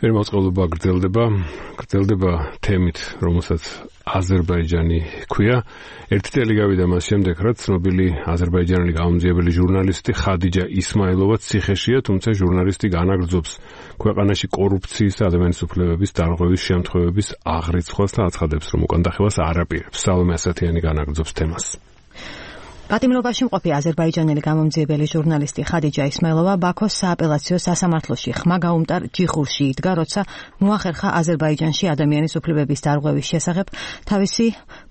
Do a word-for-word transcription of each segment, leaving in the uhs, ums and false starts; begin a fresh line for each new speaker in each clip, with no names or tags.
მოწყობილობა გრძელდება, გრძელდება თემით, რომელსაც აზერბაიჯანი ქვია. ერთი წელი გავიდა მას შემდეგ, რაც ცნობილი აზერბაიჯანელი გამომძიებელი ჟურნალისტი ხადიჯა ისმაილოვა ციხეშია, თუმცა ჟურნალისტი განაგრძობს ქვეყანაში კორუფციის და ადამიანის უფლებების დარღვევის შემთხვევების აღრიცხვას და აცხადებს, რომ უკან დახევას არ აპირებს. სალომე ასათიანი განაგრძობს თემას.
პატიმრობაში მყოფი აზერბაიჯანელი გამომძიებელი ჟურნალისტი ხადიჯა ისმაილოვა ბაქოს სააპელაციო სასამართლოში ხმა გაუმტარ ჯიხურში იდგა, როცა მოახერხა აზერბაიჯანში ადამიანის უფლებების დარღვევის შესახებ თავისი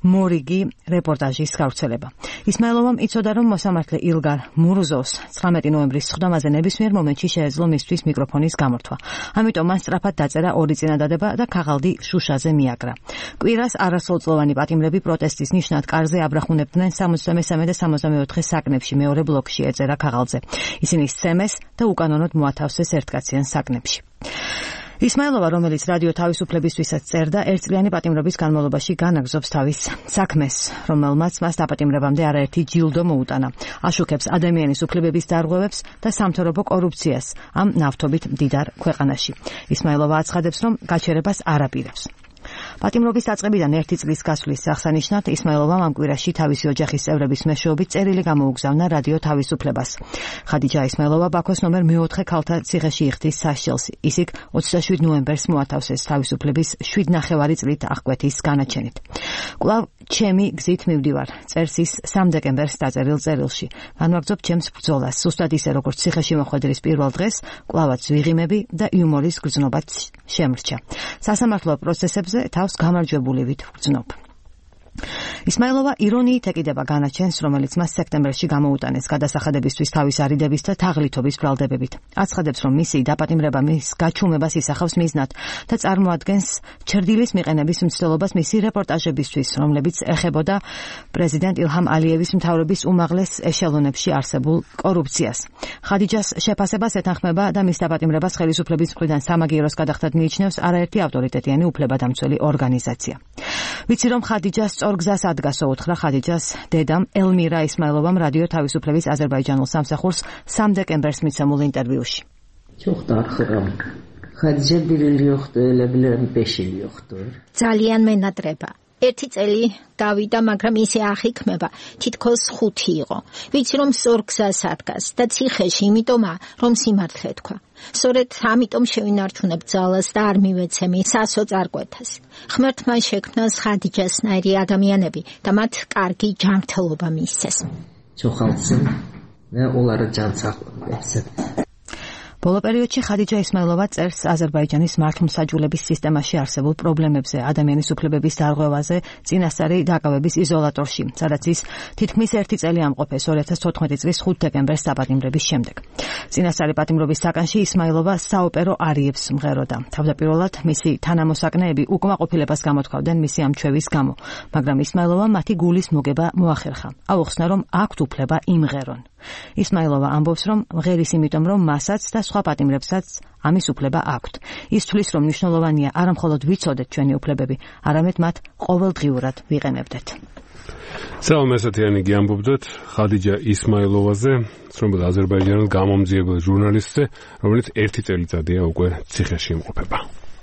მორიგი რეპორტაჟის გავრცელება. ისმაილოვამ იცოდა, რომ მოსამართლე ილგარ მურუზოვს ცხრამეტი ნოემბრის სხდომაზე ნებისმიერ მომენტში შეეძლო მისთვის მიკროფონის გამორთვა. ამიტომ მან სწრაფად დაწერა ორი წინადადება და ქაღალდი შუშაზე მიაკრა. კვირას არასრულწლოვანი პატიმრები პროტესტის ნიშნად კარზე აბრახუნებდნენ სამოცდამესამე და სამოცდამეოთხე საკნებში მეორე ბლოკში ეწერა ქაღალდზე. ისინი სცემეს და უკანონოდ მოათავსეს ერთკაციან საკნებში. ისმაილოვა, რომელიც რადიო თავისუფლებისთვისაც წერდა, ერთწლიანი პატიმრობის განმავლობაში განაგრძობს თავის საქმეს, რომელმაც მას დაპატიმრებამდე არაერთი ჯილდო მოუტანა. აშუქებს ადამიანის უფლებების დარღვევებს და სამთავრობო კორუფციას ამ ნავთობით მდიდარ ქვეყანაში. ისმაილოვა აცხადებს, რომ გაჩერებას არ აპირებს. პატიმრობის დაწყებიდან ერთი წლის გასვლის აღსანიშნად ისმაილოვამ ამ კვირაში თავისი ოჯახის წევრების მეშვეობით წერილი გამოუგზავნა რადიო თავისუფლებას. ხადიჯა ისმაილოვა ბაქოს ნომერ მეოთხე ქალთა ციხეში იხდის სასჯელს. ის იქ ოცდაშვიდ ნოემბერს მოათავსეს თავისუფლების შვიდ ნახევარი წლით აღკვეთის განაჩენით. კვლავ ჩემი გზით მივდივარ, წერს ის სამ დეკემბერს დაწერილ წერილში. განვაგრძობ ჩემს ბრძოლას, სუსტად ისე როგორც ციხეში მოხვედრის პირველ დღეს, კვლავაც ვიღიმები და იუმორის გრძნობაც შემრჩა. სასამართლო პროცესებზე თავს გამარჯვებულივით ვგრძნობ. ისმაილოვა ირონიით ეკიდება განაჩენს, რომელიც მას სექტემბერში გამოუტანეს გადასახადებისთვის თავის არიდების და თაღლითობის ბრალდებებით. აცხადებს, რომ მისი დაპატიმრება მის გაჩუმებას ისახავს მიზნად და წარმოადგენს ჩრდილის მიყენების მცდელობას მისი რეპორტაჟებისთვის, რომლებიც ეხებოდა პრეზიდენტ ილჰამ ალიევის მთავრობის უმაღლეს ეშელონებში არსებულ კორუფციას. ხადიჯას შეფასებას ეთანხმება და მის დაპატიმრებას ხელისუფლების მხრიდან სამაგიეროს გადახდად მიიჩნევს არაერთი ავტორიტეტიანი უფლებადამცველი ორგანიზაცია. ვიცი, რომ ხადიჯას სწორ გზას ადგასო, უთხრა ხადიჯას დედამ ელმირა ისმაილოვამ რადიო თავისუფლების აზერბაიჯანულ სამსახურს სამ დეკემბერს მიცემულ ინტერვიუში.
ძალიან მენატრება. ერთი წელი გავიდა, მაგრამ ისე აღიქმება, თითქოს ხუთი იყო. ვიცი, რომ სწორ გზას ადგას და ციხეში, იმიტომა, რომ სიმართლე თქვა. სწორედ ამიტომ შევინარჩუნებ ძალას და არ მივეცემი სასო წარკვეთას. ღმერთმა შექმნა ხადიჯასნაირი ადამიანები და მათ კარგი ჯანმრთელობა მისცეს.
ბოლო პერიოდში ხადიჯა ისმაილოვა წერს აზერბაიჯანის მართლმსაჯულების სისტემაში არსებულ პრობლემებზე, ადამიანის უფლებების დარღვევაზე, წინასწარი დაკავების იზოლატორში, სადაც ის თითქმის ერთი წელი ამყოფეს ორი ათას თოთხმეტი წლის ხუთ დეკემბერს დაპატიმრების შემდეგ. წინასწარი პატიმრობის საკანში ისმაილოვა საოპერო არიებს მღეროდა. თავდაპირველად მისი თანამოსაკნეები უკმაყოფილებას გამოთქვავდნენ მისი ამ ჩვევის გამო, მაგრამ ისმაილოვამ მათი გულის მოგება მოახერხა. აუხსნა, რომ აქვთ უფლება იმღერონ. ისმაილოვა ამბობს, რომ მღერის იმიტომ, რომ მასაც და სხვა პატიმრებსაც ამის უფლება აქვთ. ის თვლის, რომ მნიშვნელოვანია არა მხოლოდ ვიცოდეთ ჩვენი უფლებები, არამედ მათ ყოველდღიურად ვიყენებდეთ.
სალომე ასათიანი ამბობდათ ხადიჯა ისმაილოვაზე, ცნობილ აზერბაიჯანელ გამომძიებელ ჟურნალისტზე, რომელიც ერთი წელიწადია უკვე ციხეში იმყოფება.